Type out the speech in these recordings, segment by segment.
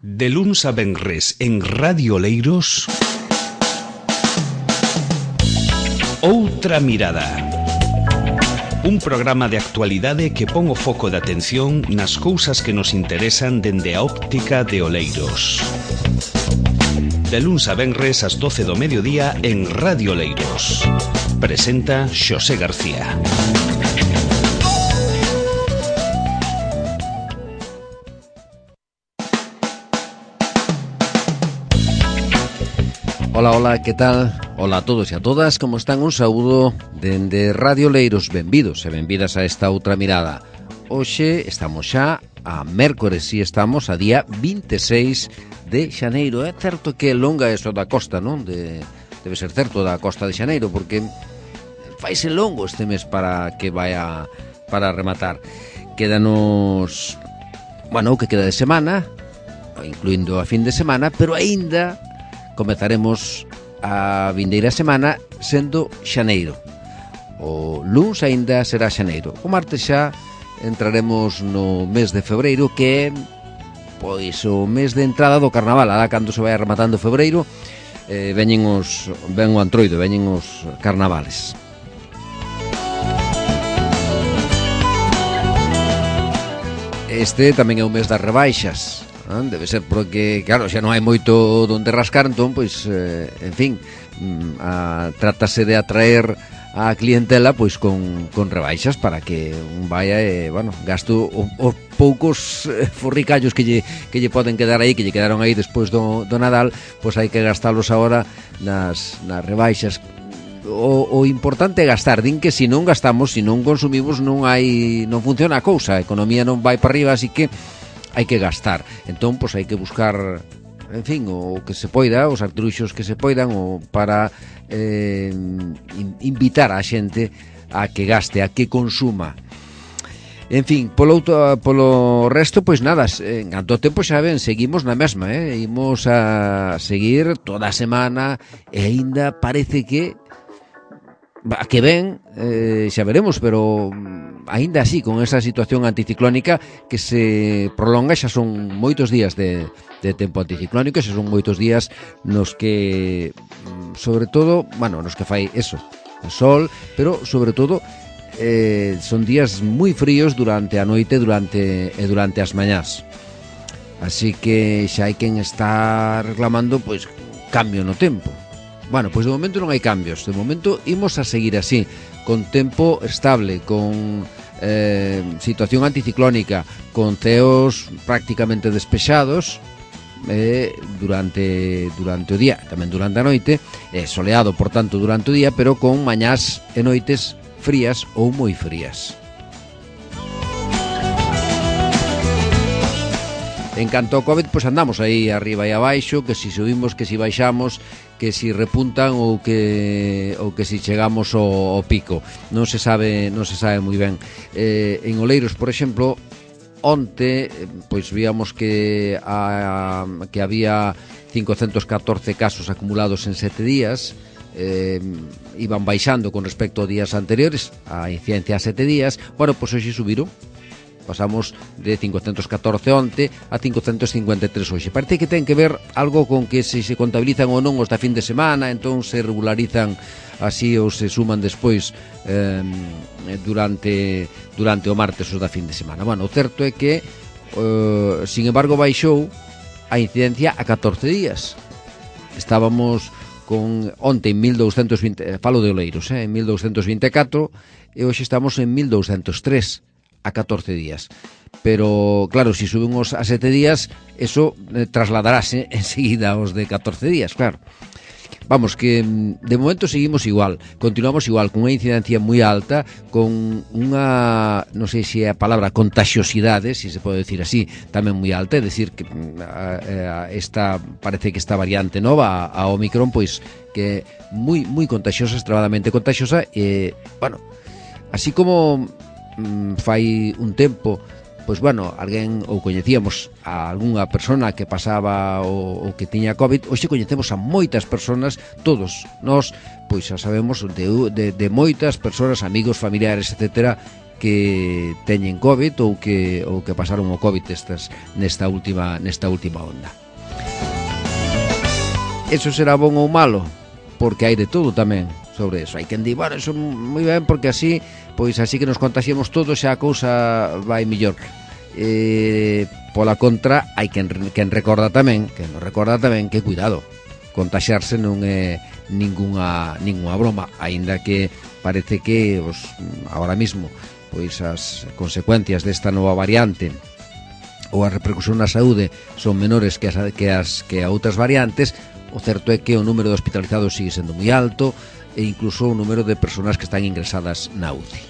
De luns a venres en Radio Oleiros, Outra Mirada. Un programa de actualidade que pon o foco de atención nas cousas que nos interesan dende a óptica de Oleiros. De luns a venres ás 12 do mediodía en Radio Oleiros. Presenta Xosé García. Hola, hola, que tal? Hola a todos e a todas, como están? Un saúdo dende Radio Oleiros. Benvidos e benvidas a esta outra mirada. Hoxe estamos xa a mércores e estamos a día 26 de xaneiro. É certo que longa eso da costa, non? Debe ser certo da costa de xaneiro, porque faise longo este mes para que vaya para rematar. Quédanos, bueno, o que queda de semana, incluindo a fin de semana, pero aínda comezaremos a vindeira semana sendo xaneiro. O luns aínda será xaneiro. O martes xa entraremos no mes de febreiro, que é pois o mes de entrada do carnaval. Alá cando se vai rematando febreiro, ven o antroido, veñen os carnavales. Este tamén é o mes das rebaixas. Debe ser porque, claro, xa non hai moito donde rascar, entón, pois, en fin, trátase de atraer a clientela, pois, con rebaixas para que un vaya e, bueno, gasto os poucos forricallos que lle poden quedar aí, que lle quedaron aí despois do Nadal, pois hai que gastalos agora nas rebaixas. O importante é gastar, din que se non gastamos, se non consumimos, non funciona a cousa, a economía non vai para arriba, así que hai que gastar. Entón, pois hai que buscar, en fin, o que se poida, os artruxos que se poidan, o para invitar a xente a que gaste, a que consuma. En fin, polo resto, pois nada, en canto tempo xa ven, seguimos na mesma, imos a seguir toda a semana e aínda parece que a que ven, xa veremos, pero aínda así, con esa situación anticiclónica que se prolonga, xa son moitos días de tempo anticiclónico, xa son moitos días nos que, sobre todo, bueno, nos que fai eso, o sol, pero sobre todo son días moi fríos durante a noite e durante as mañás. Así que xa hai quen está reclamando, pois, cambio no tempo. Bueno, pois de momento non hai cambios. De momento imos a seguir así, con tempo estable, con situación anticiclónica, con ceos prácticamente despexados durante o día, tamén durante a noite, soleado, por tanto, durante o día, pero con mañás e noites frías ou moi frías. En canto ao COVID, pois andamos aí arriba e abaixo, que si subimos, que si baixamos, que si repuntan ou que si chegamos ao pico. Non se sabe moi ben. En Oleiros, por exemplo, onte, pois víamos que había 514 casos acumulados en 7 días, iban baixando con respecto a días anteriores, a incidencia a 7 días. Bueno, pois hoxe subiron. Pasamos de 514 onte a 553 hoxe. Parece que ten que ver algo con que se contabilizan ou non os da fin de semana, entón se regularizan así ou se suman despois durante o martes os da fin de semana. Bueno, o certo é que, sin embargo, baixou a incidencia a 14 días. Estábamos con onte en 1220, falo de Oleiros, en 1224, e hoxe estamos en 1203. A 14 días. Pero, claro, se subimos a 7 días, eso trasladarase enseguida aos de 14 días, claro. Vamos, que de momento seguimos igual, continuamos igual, con unha incidencia moi alta, con unha, non sei se é a palabra, contagiosidade, se se pode decir así, tamén moi alta, é dicir que parece que esta variante nova, a Omicron, pois que é moi contagiosa, extremadamente contagiosa, e, bueno, así como fai un tempo, pois bueno, alguén ou coñecíamos a algunha persona que pasaba ou que tiña COVID, hoxe coñecemos a moitas persoas, todos nós, pois xa sabemos de moitas persoas, amigos, familiares, etcétera, que teñen COVID ou que pasaron o COVID nesta última onda. Eso será bon ou malo? Porque hai de todo tamén sobre eso. Hai quen di, bueno, eso moi ben, porque así que nos contaxiamos todos xa a cousa vai mellor. Pola contra, hai quen recorda tamén que cuidado, contaxiarse non é ninguna broma, aínda que parece que agora mismo pois as consecuencias desta nova variante ou a repercusión na saúde son menores que a outras variantes. O certo é que o número de hospitalizados sigue sendo moi alto e incluso o número de persoas que están ingresadas na UCI.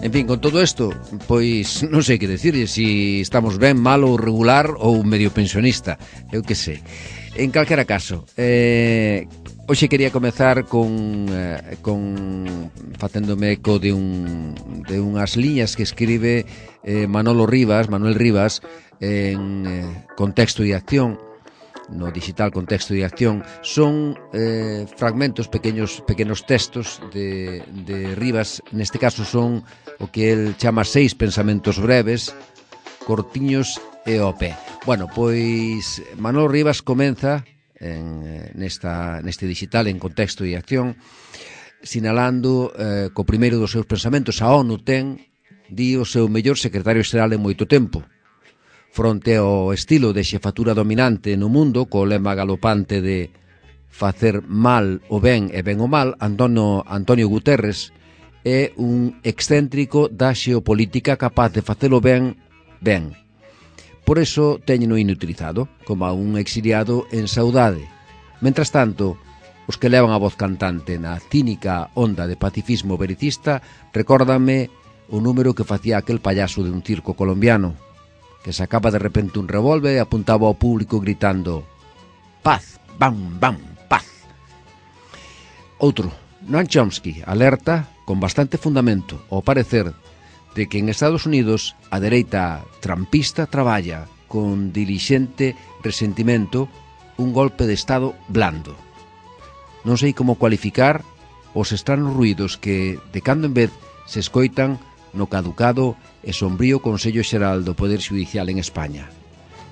En fin, con todo isto, pois non sei que decir, se estamos ben, mal ou regular ou medio pensionista, eu que sei. En calquera caso, hoxe quería comezar con facéndome eco de unhas liñas que escribe Manuel Rivas en Contexto de Acción, no digital Contexto de Acción. Son fragmentos, pequenos textos de Rivas. Neste caso son o que el chama 6 pensamentos breves, cortiños e ao pé. Bueno, pois Manuel Rivas comeza neste digital en Contexto de Acción sinalando co primeiro dos seus pensamentos: a ONU ten, di, o seu mellor secretario xeral en moito tempo. Fronte ao estilo de xefatura dominante no mundo, co lema galopante de facer mal o ben e ben o mal, Antonio Guterres é un excéntrico da xeopolítica capaz de facelo ben. Por eso teñeno inutilizado, como a un exiliado en saudade. Mentras tanto, os que levan a voz cantante na cínica onda de pacifismo vericista recórdanme o número que facía aquel payaso de un circo colombiano, que sacaba de repente un revólver e apuntaba ao público gritando: paz, bam, bam, paz. Outro, Noam Chomsky, alerta con bastante fundamento, ao parecer, de que en Estados Unidos a dereita trampista traballa con dilixente resentimento un golpe de Estado blando. Non sei como cualificar os estranos ruídos que, de cando en vez, se escoitan no caducado e sombrío Consello Xeral do Poder Xudicial en España.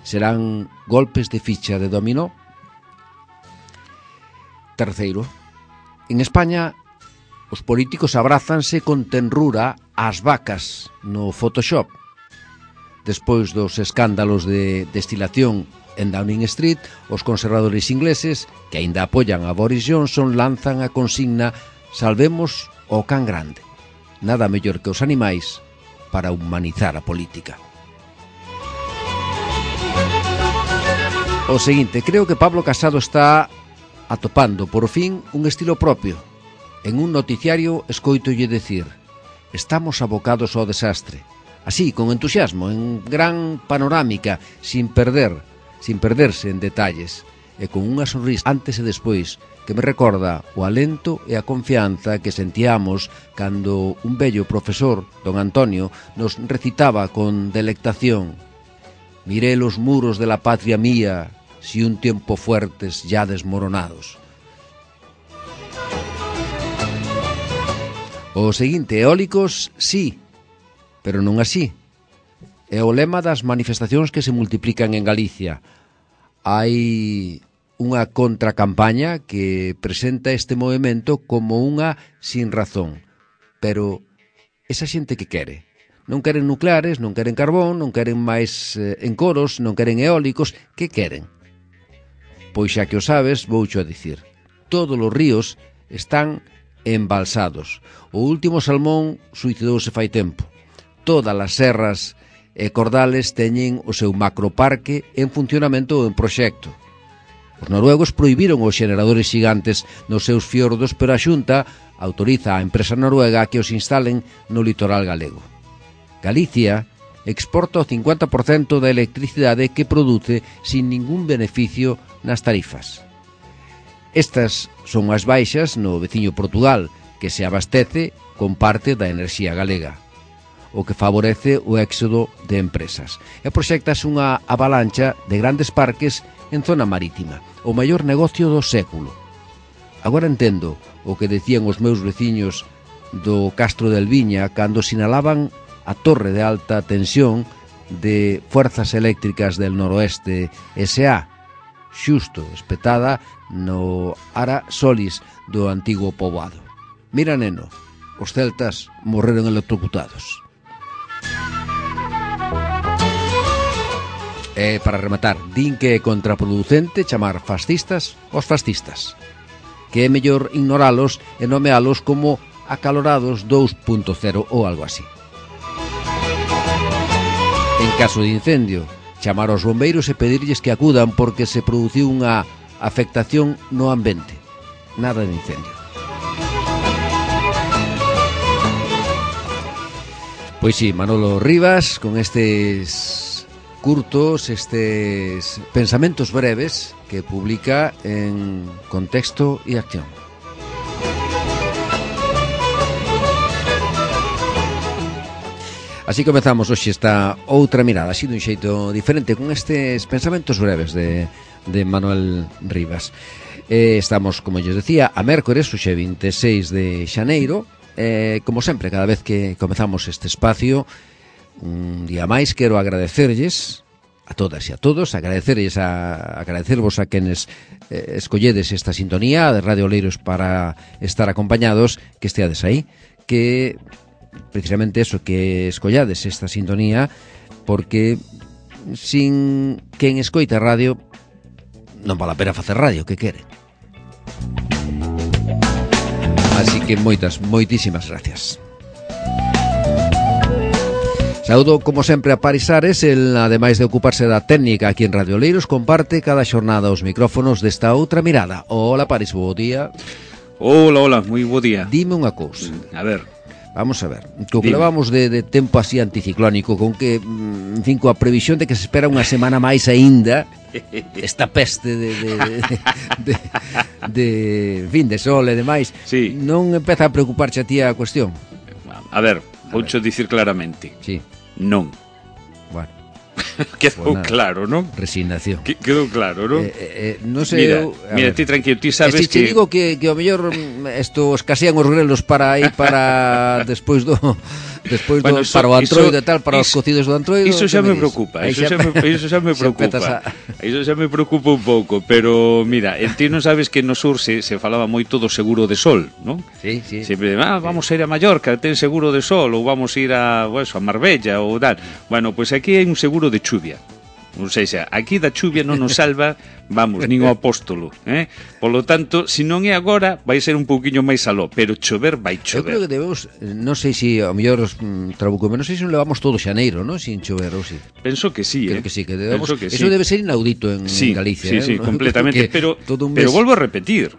Serán golpes de ficha de dominó? Terceiro, en España os políticos abrázanse con tenrura ás vacas no Photoshop. Despois dos escándalos de destilación en Downing Street, os conservadores ingleses, que aínda apoian a Boris Johnson, lanzan a consigna: salvemos o can grande. Nada mellor que os animais para humanizar a política. O seguinte, creo que Pablo Casado está atopando, por fin, un estilo propio. En un noticiario escoitolle decir: estamos abocados ao desastre. Así, con entusiasmo, en gran panorámica, sin perderse en detalles, e con unha sonrisa antes e despois, que me recorda o alento e a confianza que sentíamos cando un bello profesor, don Antonio, nos recitaba con delectación: miré los muros de la patria mía, si un tiempo fuertes ya desmoronados. O seguinte, eólicos, sí, pero non así. É o lema das manifestacións que se multiplican en Galicia. Hai unha contracampaña que presenta este movimento como unha sin razón. Pero esa xente que quere? Non queren nucleares, non queren carbón, non queren máis encoros, non queren eólicos. Que queren? Pois xa que o sabes, voucho a dicir. Todos os ríos están embalsados. O último salmón suicidouse fai tempo. Todas as serras e cordales teñen o seu macroparque en funcionamento ou en proxecto. Os noruegos prohibiron os xeneradores xigantes nos seus fiordos, pero a Xunta autoriza a empresa noruega a que os instalen no litoral galego. Galicia exporta o 50% da electricidade que produce sin ningún beneficio nas tarifas. Estas son as baixas no veciño Portugal, que se abastece con parte da enerxía galega, o que favorece o éxodo de empresas. E proxectas unha avalancha de grandes parques en zona marítima, o maior negocio do século. Agora entendo o que decían os meus veciños do Castro del Viña cando sinalaban a torre de alta tensión de Fuerzas Eléctricas del Noroeste S.A., xusto espetada no Ara Solis do antigo poboado. Mira, neno, os celtas morreron electrocutados. E, para rematar, din que é contraproducente chamar fascistas aos fascistas, que é mellor ignoralos e nomealos como acalorados 2.0 ou algo así. En caso de incendio, chamar aos bombeiros e pedirlles que acudan porque se produciu unha afectación no ambiente. Nada de incendio. Pois sí, Manolo Rivas, con estes curtos, estes pensamentos breves que publica en Contexto e Acción. Así comezamos hoxe esta outra mirada, así dun xeito diferente, con estes pensamentos breves de Manuel Rivas. Estamos, como yo decía, a mércores, hoxe 26 de xaneiro. Como sempre, cada vez que comezamos este espacio, un día máis quero agradecerlles a todas e a todos, agradecervos a quenes escolledes esta sintonía de Radio Oleiros para estar acompañados, que esteades aí, que precisamente eso, que escollades esta sintonía, porque sin quen escoita radio non vale a pena facer radio, que quere. Así que moitísimas gracias. Saúdo, como sempre, a Paris Ares. El, ademais de ocuparse da técnica aquí en Radio Oleiros, comparte cada xornada os micrófonos desta outra mirada. Hola, Paris, bo día. Hola, moi bo día. Dime unha cousa. A ver. Vamos a ver, co que levamos de tempo así anticiclónico, con que, en fin, coa previsión de que se espera unha semana máis aínda, esta peste de fin, de sol e demais, sí. Non empeza a preocuparche a ti a cuestión? A ver, voucho dicir claramente. Sí. Non. Bueno. Quedou claro, non? Resignación. Quedou claro, non? Non sei. Mira, ti tranquilo, ti sabes que... te digo que ao mellor estos escasean os grelos para ir para despois do bueno, para o antroido e tal, para os cocidos do antroido. Iso xa me preocupa, iso xa me preocupa. Iso xa me preocupa un pouco, pero mira, ti non sabes que no sur se falaba moito do seguro de sol, non? Sí. Sempre, vamos a ir a Mallorca, ten seguro de sol, ou vamos a ir a Marbella ou tal. Bueno, pois aquí hai un seguro de chuvia. Non sei xa, aquí da chuvia non nos salva, vamos, nin o apóstolo, Polo tanto, se non é agora, vai ser un pouquiño máis aló, pero chover vai chover. Eu creo que debemos, non sei se ao mellor trabucome, non sei se non levamos todo xaneiro, non, sin chover ou si. Penso que sí, Creo que sí, que debemos, que eso debe ser inaudito en Galicia, Sí, completamente, pero volvo a repetir,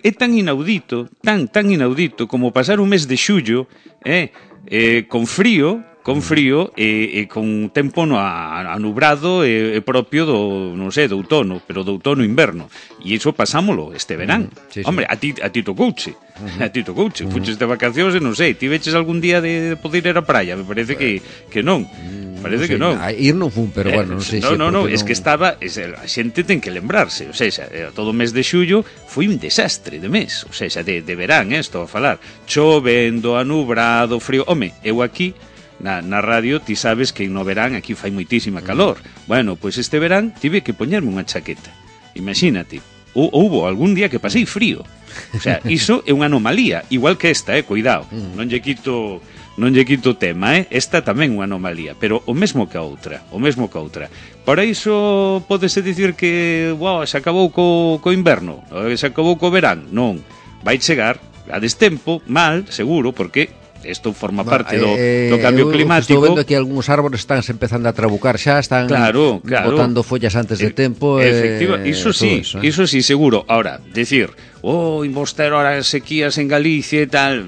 é tan inaudito como pasar un mes de xullo, con frío e con tempo anubrado e propio do, non sei, do outono, pero do outono-inverno. E iso pasámolo este verán. Sí. Hombre, a ti tocouche. A ti tocouche. Fuches de vacacións e non sei, ti veches algún día de poder ir á praia? Me parece que non. Parece que non. Ir non fun, pero bueno, non sei se... Non, es que estaba... A xente ten que lembrarse. O sea, todo o mes de xullo foi un desastre de mes. O sea, de verán, estou a falar. Chovendo, anubrado, frío... Home, eu aquí... Na radio ti sabes que no verán aquí fai moitísima calor. Bueno, pois este verán tive que poñerme unha chaqueta. Imagínate, houbo algún día que pasei frío. O sea, iso é unha anomalía, igual que esta, cuidado. Non lle quito tema, Esta tamén é unha anomalía, pero o mesmo que a outra. Para iso pódese dicir que, se acabou co inverno, se acabou co verán. Non, vai chegar a destempo, mal, seguro, porque isto forma parte do cambio climático. Estou vendo que algúns árbores están empezando a trabucar xa, están botando follas antes de tempo. Iso sí, seguro. Ahora, decir, imos ter ahora sequías en Galicia e tal,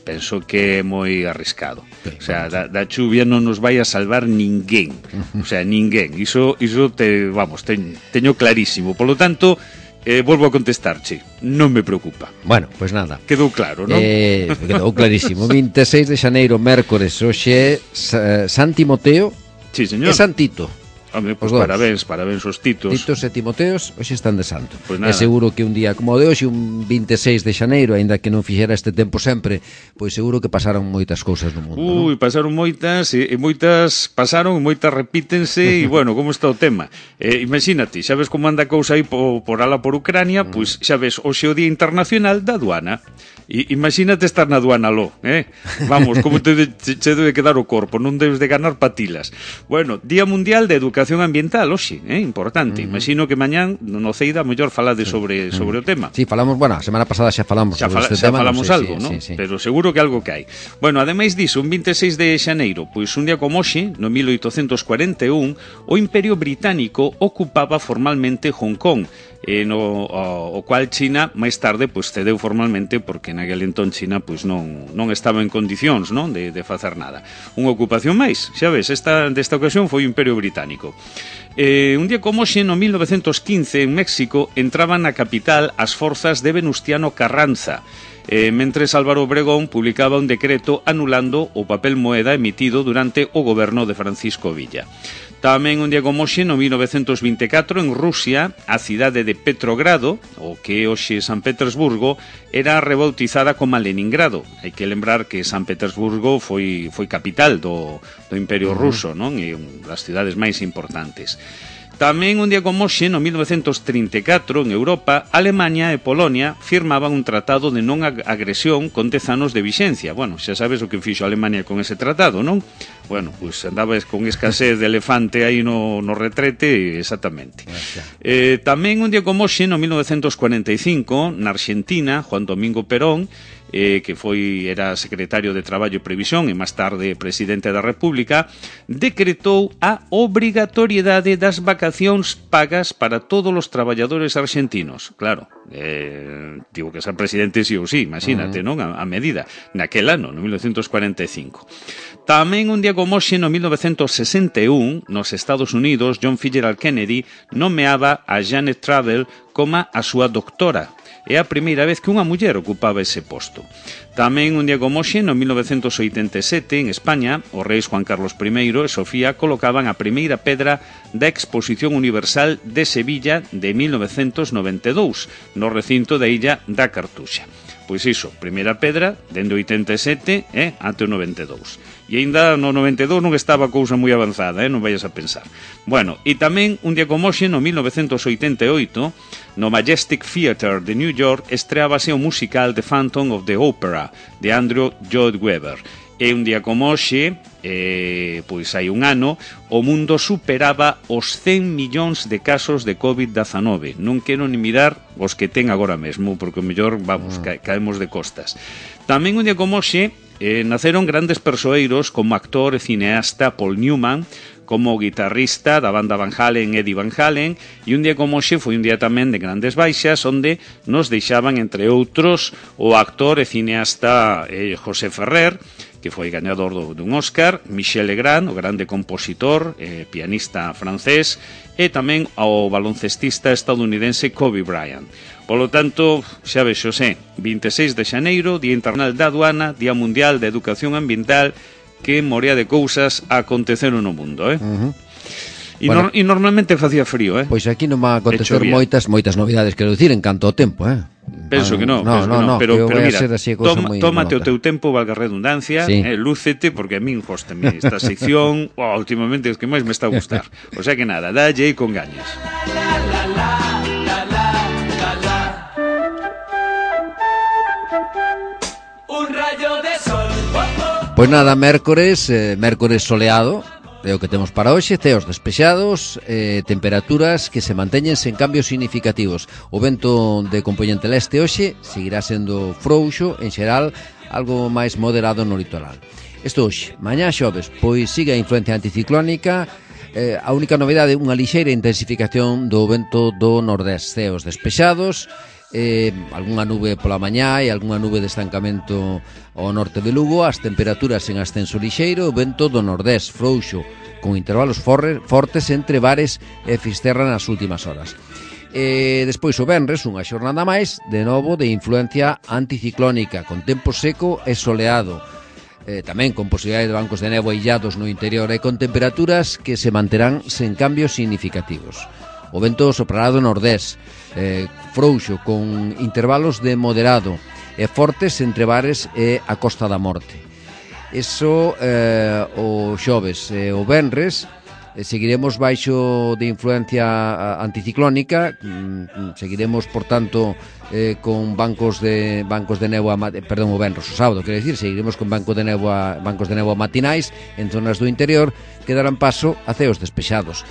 penso que é moi arriscado. O sea, da chuvia non nos vai a salvar ninguén. O sea, ninguén. Iso teño clarísimo. Por lo tanto, volvo a contestarche, non me preocupa. Bueno, pois nada. Quedou claro, non? Quedou clarísimo. 26 de xaneiro, mércores, hoxe San Timoteo. Sí, señor. É Santito. Home, pues parabéns aos Titos. Titos e Timoteos hoxe están de santo. Pues é seguro que un día como o de hoxe, un 26 de xaneiro, aínda que non fixera este tempo sempre, pois seguro que pasaron moitas cousas no mundo. Non? Pasaron moitas, e moitas pasaron, moitas repítense, e bueno, como está o tema? Imagínate, xa ves como anda a cousa aí por ala por Ucrania, pois xa ves, hoxe o Día Internacional da Aduana. Imagínate estar na aduana lo, Vamos, como che debe quedar o corpo, non debes de ganar patilas. Bueno, Día Mundial de Educación Ambiental, hoxe, importante. Imagino que mañán no Ceida mellor falade sobre o tema. Sí, falamos, bueno, a semana pasada xa falamos sobre este tema. Xa falamos algo, non? Sí. Pero seguro que algo que hai. Bueno, ademais diso, un 26 de xaneiro, pois un día como hoxe, no 1841, o Imperio Británico ocupaba formalmente Hong Kong, o cual China máis tarde pois cedeu formalmente porque naquele entón China pois non estaba en condicións, non, de facer nada. Unha ocupación máis, xa ves, desta ocasión foi o Imperio Británico. Un día como hoxe, no 1915, en México, entraban na capital as forzas de Venustiano Carranza, mentres Álvaro Obregón publicaba un decreto anulando o papel moeda emitido durante o goberno de Francisco Villa. Tamén un día como hoxe, no 1924, en Rusia, a cidade de Petrogrado, o que hoxe San Petersburgo, era rebautizada como Leningrado. Hai que lembrar que San Petersburgo foi capital do Imperio Ruso, non? E das cidades máis importantes. Tamén un día como hoxe, no 1934, en Europa, Alemania e Polonia firmaban un tratado de non agresión con 10 anos de vixencia. Bueno, xa sabes o que fixo Alemania con ese tratado, non? Bueno, pois andabas con escasez de elefante aí no retrete, exactamente. Tamén un día como hoxe, no 1945, na Argentina, Juan Domingo Perón, que era secretario de Traballo e Previsión e máis tarde presidente da República, decretou a obrigatoriedade das vacacións pagas para todos os traballadores argentinos. Claro, tivo que ser presidente sí ou sí, imagínate, non? A medida, naquel ano, no 1945. Tamén un día como hoxe, no 1961, nos Estados Unidos, John Fitzgerald Kennedy nomeaba a Janet Travell como a súa doctora. É a primeira vez que unha muller ocupaba ese posto. Tamén un día como hoxe, no 1987, en España, os reis Juan Carlos I e Sofía colocaban a primeira pedra da Exposición Universal de Sevilla de 1992, no recinto da illa da Cartuxa. Pois iso, primeira pedra, dende o 87 ante o 92. E aínda no 92 non estaba a cousa moi avanzada, non vayas a pensar. Bueno, e tamén un día como hoxe, no 1988, no Majestic Theatre de New York, estreábase o musical The Phantom of the Opera, de Andrew Lloyd Webber. E un día como hoxe, pois hai un ano, o mundo superaba os 100 millóns de casos de COVID-19. Non quero ni mirar os que ten agora mesmo, porque o mellor, vamos, caemos de costas. Tamén un día como hoxe, naceron grandes persoeiros como actor e cineasta Paul Newman, como guitarrista da banda Van Halen, Eddie Van Halen, e un día como hoxe foi un día tamén de grandes baixas, onde nos deixaban, entre outros, o actor e cineasta José Ferrer, que foi gañador dun Oscar, Michel Legrand, o grande compositor, pianista francés, e tamén ao baloncestista estadounidense Kobe Bryant. Polo tanto, xa ves, Xosé, 26 de xaneiro, Día Internacional da Aduana, Día Mundial de Educación Ambiental, que morea de cousas aconteceron no mundo, E normalmente facía frío, Pois aquí non va a acontecer moitas novidades, quero dicir, en canto ao tempo, Penso que non, pero mira, tómate o teu tempo, valga a redundancia, lúcete, porque a min góstame esta sección, últimamente é que máis me está a gustar. O sea que nada, dalle con gañas. Pois nada, mércores soleado, é o que temos para hoxe, ceos despexados, temperaturas que se manteñen sen cambios significativos. O vento de compoñente leste hoxe seguirá sendo frouxo, en xeral, algo máis moderado no litoral. Isto hoxe, mañá xoves, pois sigue a influencia anticiclónica, a única novidade, unha lixeira intensificación do vento do nordés, ceos despexados, algunha nube pola mañá e algunha nube de estancamento ao norte de Lugo, as temperaturas en ascenso lixeiro, o vento do nordés frouxo, con intervalos fortes entre Bares e Fisterra nas últimas horas. Despois o venres, unha xornada máis, de novo de influencia anticiclónica, con tempo seco e soleado. tamén con posibilidade de bancos de néboa illados no interior e con temperaturas que se manterán sen cambios significativos. O vento soprará do nordés, frouxo, con intervalos de moderado e fortes entre bares e a Costa da Morte. Eso o xoves e o venres seguiremos baixo de influencia anticiclónica, seguiremos, por tanto, con bancos de néboa, perdón, o venres, o sábado, quero dicir, seguiremos con bancos de néboa matinais en zonas do interior que darán paso a ceos despexados.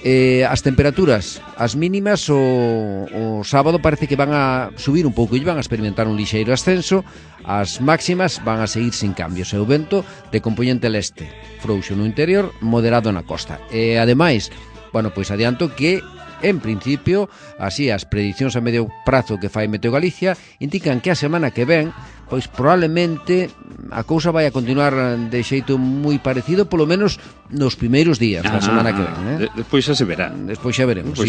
As temperaturas, as mínimas o sábado parece que van a subir un pouco e van a experimentar un lixeiro ascenso. As máximas van a seguir sin cambios e o vento de compoñente leste, frouxo no interior, moderado na costa. E ademais, pois adianto que en principio, así as predicións a medio prazo que fai Meteo Galicia indican que a semana que ven, pois probablemente a cousa vai a continuar de xeito moi parecido, polo menos nos primeiros días da semana que ven, Despois xa se verá. Despois xa veremos,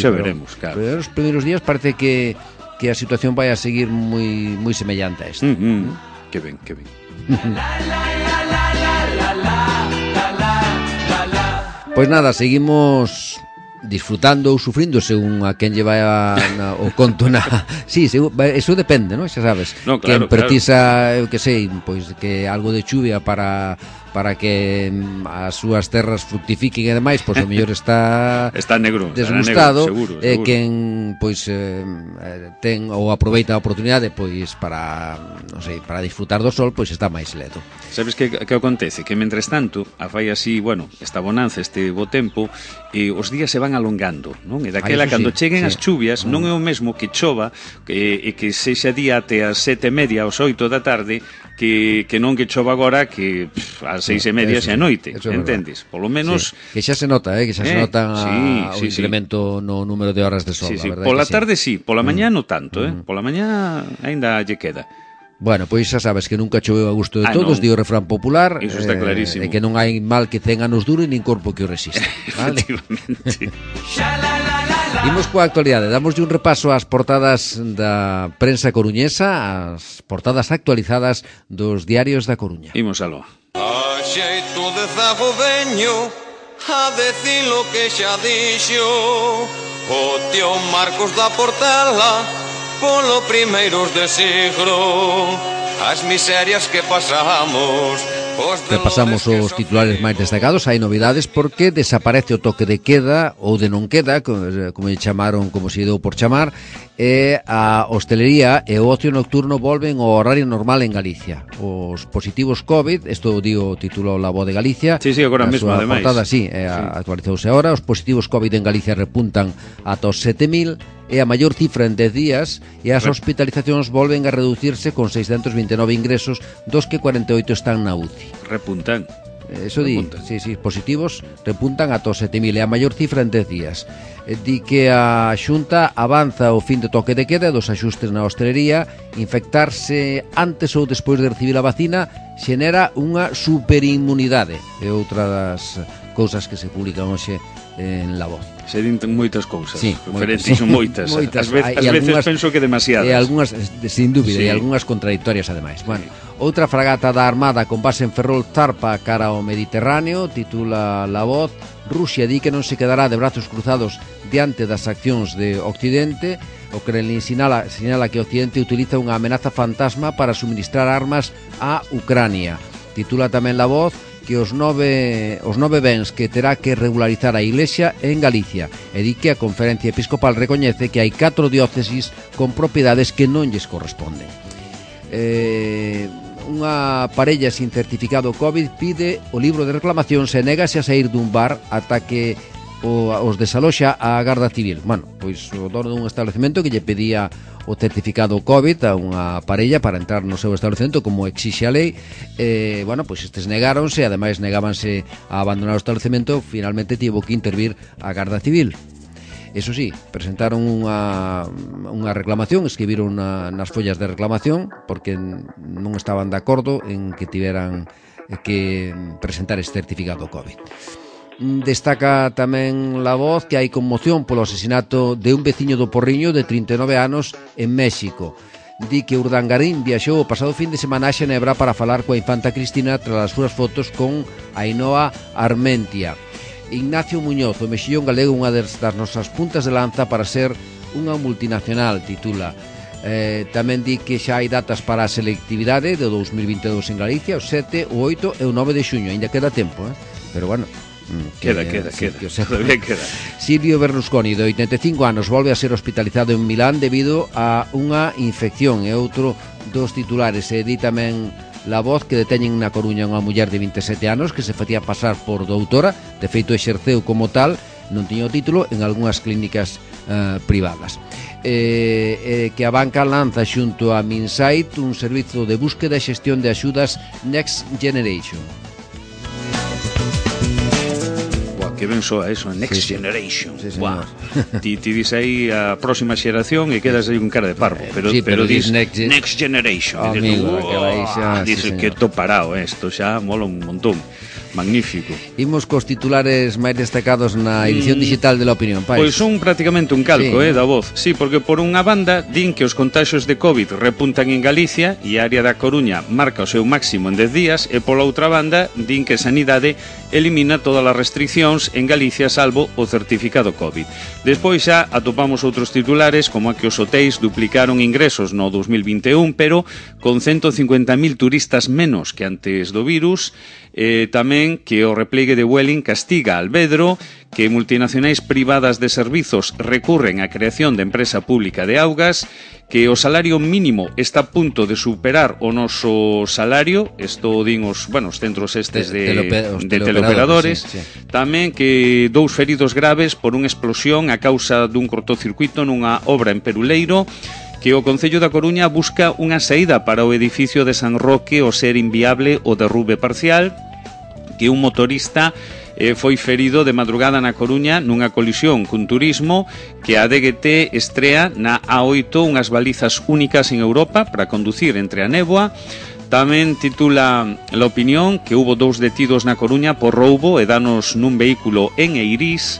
claro. Pero nos primeiros días parece que a situación vai a seguir moi semellante a esta. Que ben, que ben. Pois nada, seguimos disfrutando ou sufrindo según a quen lle vai o conto na... Sí, eso depende, non? Xa sabes. No, claro, quen precisa, eu que sei, pois que algo de chuvia para que as súas terras fructifiquen e demais, pois o mellor está negro, desgustado, seguro. Quen pois ten ou aproveita a oportunidade pois para, non sei, para disfrutar do sol, pois está máis ledo. Sabes que acontece? Que mentres tanto a fai así, esta bonanza, este bo tempo, e os días se van alongando, non? E daquela, cando cheguen as chuvias, non é o mesmo que chova e que sexa día até as 7:30, aos 8 da tarde, que non que chova agora que ás 6:30 xa é noite, entendes? Polo menos... Sí. Que xa se nota, que xa se nota o incremento no número de horas de sol, sí. a verdade. Pola tarde sí, pola mañá non tanto, pola mañá aínda lle queda. Bueno, pois xa sabes que nunca choveu a gusto de todos, di o refrán popular. Iso está clarísimo. E que non hai mal que 100 anos dure nin corpo que o resista, vale? Efectivamente. Imos coa actualidade, damoslle un repaso ás portadas da prensa coruñesa, as portadas actualizadas dos diarios da Coruña. Imos aló. A xeito de zago veño a decir lo que xa dixo o tío Marcos da Portela polo primeiros de siglo, as miserias que pasamos. Repasamos os titulares máis destacados. Hai novidades porque desaparece o toque de queda ou de non queda, como lle chamaron, como se deu por chamar, e a hostelería e o ocio nocturno volven ao horario normal en Galicia. Os positivos COVID, isto o título La Voz de Galicia. Sí, agora mesmo, ademais. Portada, actualizouse agora. Os positivos COVID en Galicia repuntan ata os 7.000, é a maior cifra en 10 días, e as hospitalizacións volven a reducirse con 629 ingresos, dos que 48 están na UCI. Repuntan. Eso di, sí, positivos repuntan ata os 7.000, é a maior cifra en 10 días. Di que a Xunta avanza o fin de toque de queda dos axustes na hostelería. Infectarse antes ou despois de recibir a vacina xenera unha superinmunidade. É outra das cousas que se publican hoxe en La Voz. Se din moitas cousas, sí, son moitas. Ás veces penso que demasiadas. E algunhas, sin dúbida, e algunhas contradictorias ademais. Bueno, outra fragata da Armada con base en Ferrol zarpa cara ao Mediterráneo, titula La Voz. Rusia di que non se quedará de brazos cruzados diante das accións de Occidente. O Kremlin sinala que Occidente utiliza unha amenaza fantasma para suministrar armas a Ucrania. Titula tamén La Voz que os nove bens que terá que regularizar a Iglesia en Galicia, e di que a Conferencia Episcopal recoñece que hai 4 diócesis con propiedades que non lles corresponden. Unha parella sin certificado COVID pide o libro de reclamacións e negase a sair dun bar ata que os desaloxa a Garda Civil. Bueno, pois o dono dun establecemento que lle pedía o certificado COVID a unha parella para entrar no seu establecemento como exixe a lei, pois estes negáronse, ademais negábanse a abandonar o establecemento. Finalmente tivo que intervir a Garda Civil. Eso sí, presentaron unha reclamación, escribiron nas follas de reclamación porque non estaban de acordo en que tiveran que presentar este certificado COVID. Destaca tamén La Voz que hai conmoción polo asesinato de un veciño do Porriño de 39 anos en México. di que Urdangarín viaxou o pasado fin de semana a Xenebra para falar coa infanta Cristina tras as súas fotos con Ainhoa Armentia. Ignacio Muñoz, o mexillón galego, unha das nosas puntas de lanza para ser unha multinacional, titula. Tamén di que xa hai datas para a selectividade do 2022 en Galicia, o 7, o 8 e o 9 de xuño. Ainda queda tempo, pero bueno, queda. Todavía queda. Silvio Berlusconi, de 85 anos, volve a ser hospitalizado en Milán debido a unha infección. É outro dos titulares. E di tamén La Voz que deteñen na Coruña unha muller de 27 anos que se facía pasar por doutora, de feito exerceu como tal, non tiña o título, en algunhas clínicas privadas. Que a banca lanza xunto a Minsight un servizo de búsqueda e xestión de axudas Next Generation. Que ben soa eso, Next Generation. Sí, señor. Ti dis aí a próxima xeración e quedas aí con cara de parvo, pero dis Next Generation. Amigo, dices que to parado isto, xa mola un montón. Magnífico. Imos cos titulares máis destacados na edición digital de La Opinión, Pais. Pois son prácticamente un calco, da Voz. Sí, porque por unha banda din que os contaxios de COVID repuntan en Galicia e a área da Coruña marca o seu máximo en 10 días e pola outra banda din que Sanidade elimina todas as restriccións en Galicia salvo o certificado COVID. Despois xa atopamos outros titulares como a que os hotéis duplicaron ingresos no 2021, pero con 150.000 turistas menos que antes do virus. Tamén que o replegue de Vueling castiga a Alvedro, que multinacionais privadas de servizos recurren á creación de empresa pública de augas, que o salario mínimo está a punto de superar o noso salario, isto din os centros estes de teleoperadores, sí. Tamén que 2 feridos graves por unha explosión a causa dun cortocircuito nunha obra en Peruleiro, que o Concello da Coruña busca unha saída para o edificio de San Roque ao ser inviable o derrube parcial, que un motorista foi ferido de madrugada na Coruña nunha colisión cun turismo, que a DGT estrea na A8 unhas balizas únicas en Europa para conducir entre a néboa. Tamén titula La Opinión que hubo 2 detidos na Coruña por roubo e danos nun vehículo en Eirís,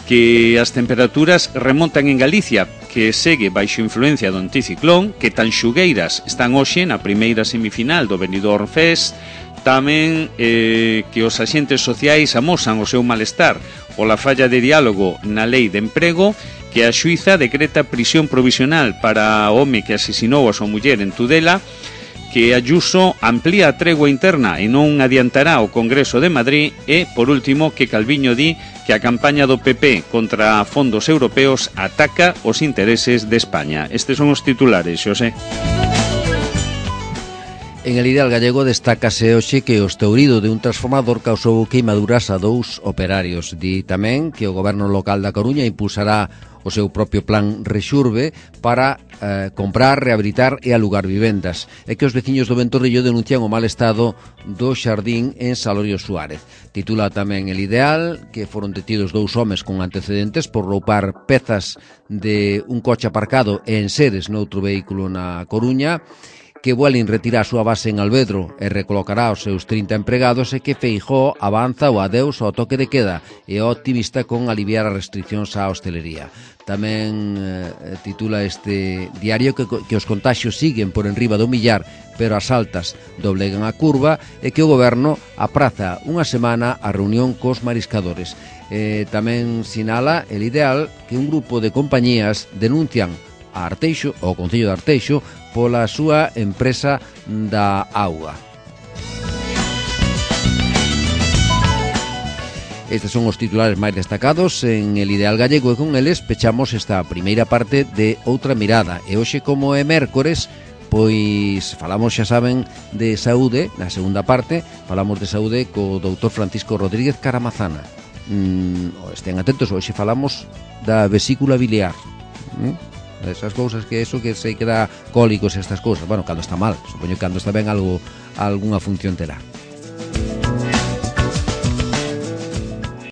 que as temperaturas remontan en Galicia, que segue baixo influencia do anticiclón, que Tanxugueiras están hoxe na primeira semifinal do Benidorm Fest. Tamén que os axentes sociais amosan o seu malestar pola falla de diálogo na lei de emprego, que a xuíza decreta prisión provisional para o home que asesinou a súa muller en Tudela, que Ayuso amplía a tregua interna e non adiantará o Congreso de Madrid e, por último, que Calviño di que a campaña do PP contra fondos europeos ataca os intereses de España. Estes son os titulares, Xosé. En el Ideal Gallego destácase hoxe que o estourido de un transformador causou queimaduras a 2 operarios. Di tamén que o goberno local da Coruña impulsará o seu propio plan Rexurbe para comprar, rehabilitar e alugar vivendas, e que os veciños do Ventorrillo denuncian o mal estado do xardín en Salorio Suárez. Titula tamén El Ideal que foron detidos 2 homes con antecedentes por roupar pezas de un coche aparcado e enseres noutro vehículo na Coruña, que Vueling retira a súa base en Alvedro e recolocará os seus 30 empregados, e que Feijóo avanza o adeus ao toque de queda e é optimista con aliviar as restriccións á hostelería. Tamén titula este diario que os contaxios siguen por enriba do millar, pero as altas doblegan a curva, e que o goberno apraza unha semana a reunión cos mariscadores. Tamén sinala El Ideal que un grupo de compañías denuncian a Arteixo, ao Concello de Arteixo, pola súa empresa da auga. Estes son os titulares máis destacados en El Ideal Gallego, e con eles pechamos esta primeira parte de Outra Mirada. E hoxe, como é mércores, pois falamos, xa saben, de saúde. Na segunda parte falamos de saúde co doutor Francisco Rodríguez Caramazana. Estén atentos, hoxe falamos da vesícula biliar. Esas cousas que eso que se queda cólicos e estas cousas. Bueno, cando está mal, supoño que cando está ben algunha función terá.